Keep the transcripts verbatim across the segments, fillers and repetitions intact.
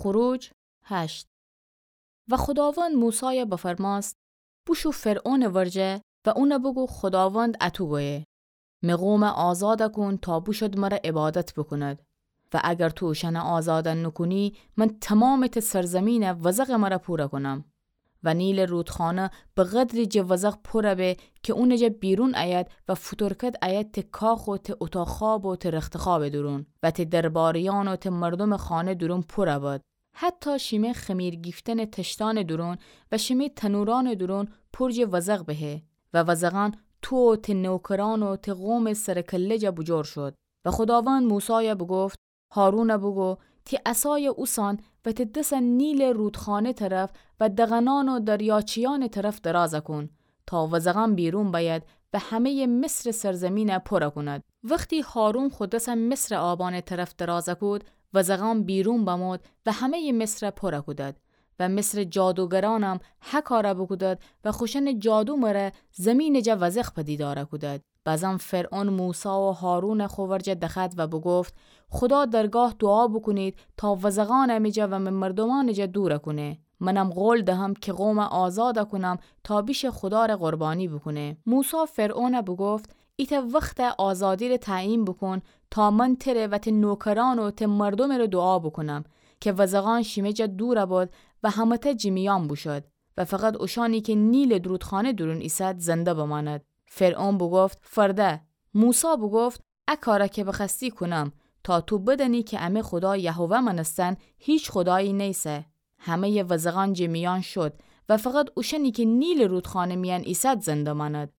خروج هشت. و خوداوند موسایَ بفرمأست: بوشو فرعونٚ ورجه و اونَ بوگو خوداوند اَتو گویه: می قومَ آزادَ کون تا بوشد مرَ عبادت بوکوند. و اگر تو اوشأنَ آزادَ نوکونی، من تومامٚ ته سرزمینَ وزغٚ مرَ پورَ کونم. و نیلٚ رودخانه به قدری جٚه وزغ پورَ به کی اونٚ جا بیرون ایید و فوتورکد ایید ته کاخ و ته اوتاق خواب و ته رختخوابٚ دورون و ته درباریأن و ته مردومٚ خانه دورون پورَ بد. حتی شیمه خمیر گیفتنٚ تشتأنٚ دورون و شیمه تنورأنٚ دورون پور جٚه وزغ بهه و وزغأن تو و ته نوکرأن و ته قومٚ سرٚ کله جا بوجور شود. و خوداوند موسایَ بوگفت: هارونَ بوگو تی عصایَ اوسأن و تی دسَ نیلٚ رودخانه طرف و دغنأن و دریاچه‌یأنٚ طرف درازَ کون تا وزغأن بیرون بأید و همه‌یٚ مصرٚ سرزمینَ پورَ کونید. وختی هارون خو دسَ مصرٚ آبأنٚ طرف درازَ کود، وزغأن بیرون بمود و همه‌یٚ مصرَ پورَ کودید. و مصرٚ جادوگرأنم هه کارَ بوکودید و خوشأنٚ جادو مره زمینٚ جا وزغ پدیدارَ کودید. بزم فرعون موسی و هارونَ خو ورجه دخوأد و بوگفت: خودا درگاه دوعا بوکونید تا وزغأنَ می جا و می مردومأنٚ جا دورَ کونه. منم قول دهم کی قومَ آزادَ کونم تا بیشه خودارَ قربانی بوکونه. موسی فرعونَ بوگفت: ایتأ وختَ آزادی‌ره تعیین بوکون تا من تره و تی نوکرأن و تی مردومٚ ره دوعا بوکونم کی وزغأن شیمه جا دورَ بد و همه‌تأ جیمیأن بوشد و فقط اوشأنی کی نیلٚ رودخانه دورون ایسد زنده بمأند. فرعون بوگفت: فرده. موسی بوگفت: ا کارَ کی بخوأستی کونم، تا تو بدأنی کی امه خودا یهوه مأنستن هیچ خودایی نیسه. همه‌یٚ وزغأن جیمیأن شد و فقط اوشأنی کی نیلٚ رودخانه میأن ایسد زنده مأند.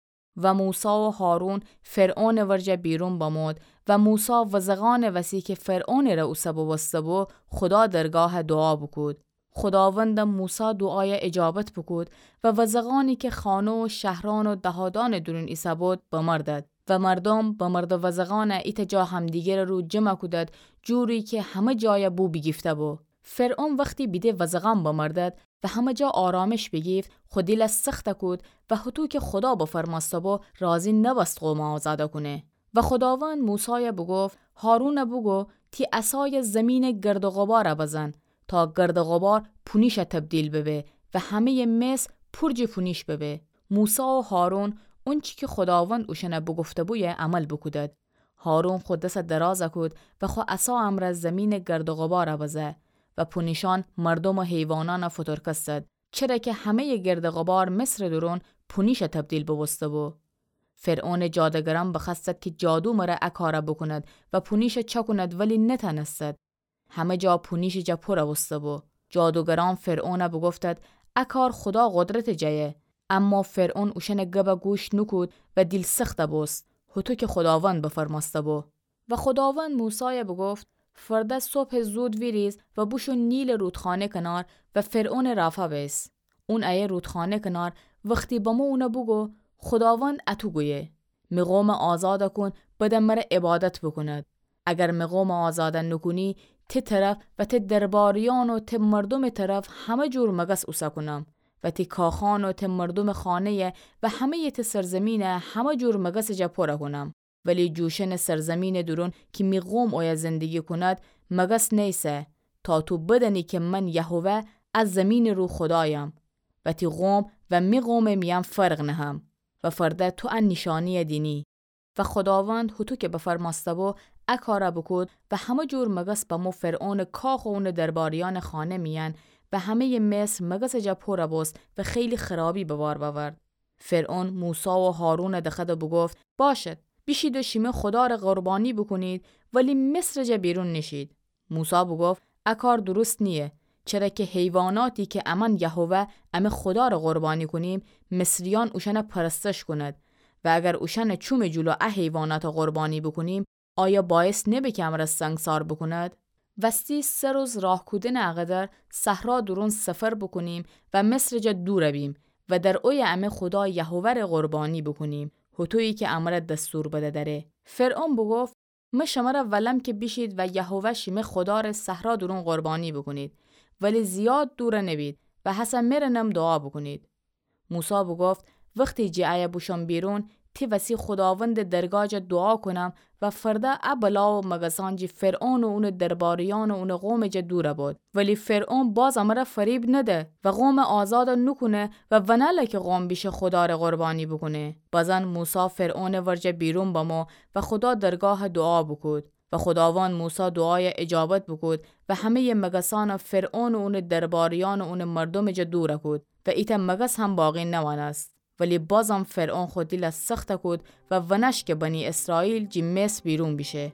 و موسی و هارون فرعونٚ ورجه بیرون بمود و موسی وزغأنٚ وسی کی فرعونٚ ره اوسه بوبوسته‌بو، خودا درگاه دوعا بوکود. خوداوندم موسی دوعایَ اجابت بوکود و وزغأنی کی خانه و شهرأن و دهادأنٚ دورون ایسه‌بود، بمردد. و مردوم بمرده وزغأنَ ایتأ جا همدیگرٚ رو جمع کودد، جوری کی همه جایَ بو بیگیفته‌بو. فرعون وختی بیده وزغأن بمردد و همه جا آرامش بیگیفت، خو دیلَ سختَ کود و هطو کی خودا بفرمأسته‌بو، راضی نبست قومَ آزادَ کونه. و خوداوند موسایَ بوگفت: هارونَ بوگو تی عصایَ زمینٚ گرد و غبارَ بزن تا گرد و غبار پونیشَ تبدیل ببه و همه‌یٚ مصر پور جٚه پونیش ببه. موسی و هارون اونچی کی خوداوند اوشأنَ بوگفته‌بویه عمل بوکودد. هارون خو دسَ درازَ کود و خو عصا امرأ زمینٚ گرد و غبارَ بزه و پونیشأن مردوم و حیوانأنَ فوتورکستد، چره کی همه‌یٚ گرد و غبار مصرٚ دورون پونیشَ تبدیل بوبوسته‌بو. فرعونٚ جادوگرأن بخوأستد کی جادو مره ا کارَ بوکوند و پونیشَ چأکوند، ولی نتأنستد. همه جا پونیشٚ جا پورَ بوسته‌بو. جادوگرأن فرعونَ بوگفتد: ا کار خودا قدرتٚ جایه. اما فرعون اوشأنٚ گبَ گوش نوکود و دیل سختَ بوست، هطو کی خوداوند بفرمأسته‌بو. و خوداوند موسایَ بوگفت: فرده صبحٚ زود ویریز و بوشو نیلٚ رودخانه کنار و فرعونٚ رافا بیس. اون ایه رودخانه کنار وختی بمو اونَ بوگو: خوداوند اَتو گویه: می قومَ آزادَ کون، بدن مره عبادت بوکوند. اگر می قومَ آزادَ نوکونی، تی طرف و تی درباریأن و تی مردومٚ طرف همه جور مگس اوسه کونم و تی کاخأن و تی مردومٚ خانه‌یَ و همه‌یٚ تی سرزمینَ همه جور مگسٚ جا پورَ کونم. ولی جوشنٚ سرزمینٚ دورون کی می قوم اویه زندگی کوند، مگس نیسه، تا تو بدأنی کی من یهوه ا زمینٚ رو خودایم و تی قوم و می قومٚ میأن فرق نهم. و فرده تو ا نیشأنی‌یَ دینی. و خوداوند هوطو کی بفرمأسته‌بو ا کارَ بوکود و همه جور مگس بمو فرعونٚ کاخ و اونٚ درباریأنٚ خانه میأن و همه‌یٚ مصر مگسٚ جا پورَ بوست و خیلی خرابی به بار بأورد. فرعون موسی و هارونَ دخوأد و بوگفت: باشد، بیشید و شیمه خودارَ قربانی بوکونید، ولی مصرٚ جا بیرون نیشید. موسی بوگفت: ا کار درست نییه، چره کی حیواناتی کی امأن یهوه امه خودارَ قربانی کونیم، مصریأن اوشأنَ پرستش کونید. و اگر اوشأنٚ چومٚ جلو ا حیواناتَ قربانی بوکونیم، آیا باعث نبه کی امرَ سنگسار بوکوند؟ وستی سه روز راه کودنٚ اقدر صحرا دورون سفر بوکونیم و مصرٚ جا دورَ بیم و در اویه امه خودا یهوه‌رَ قربانی بوکونیم، هوطویی کی امرَ دستور بده دأره. فرعون بوگفت: من شمرَ ولم کی بیشید و یهوه شیمه خودارَ صحرا دورون قربانی بوکونید، ولی زیاد دورَ نبید و هسه مرَ نم دوعا بوکونید. موسی بوگفت: وختی جٚه ایه بوشوم بیرون، تی وسی خوداوندٚ درگاه جا دوعا کونم و فرده ا بلا و مگسأن جی فرعون و اونٚ درباریأن و اونٚ قومٚ جا دورَ باد. ولی فرعون باز امرَ فریب نده و قومَ آزادَ نوکونه و ونه‌له کی قوم بیشه خودارَ قربانی بوکونه. بزن موسی فرعونٚ ورجه بیرون بمو و خودا درگاهَ دوعا بوکود. و خوداوند موسی دوعایَ اجابت بوکود و همه‌یٚ مگسأنَ فرعون و اونٚ درباریأن و اونٚ مردومٚ جا دورَ کود و ایتأ مگس هم باقی نمأنست. ولی بازم فرعون خو دیلَ سختَ کود و ونأشکه بنی اسرائیل جی مصر بیرون بیشه.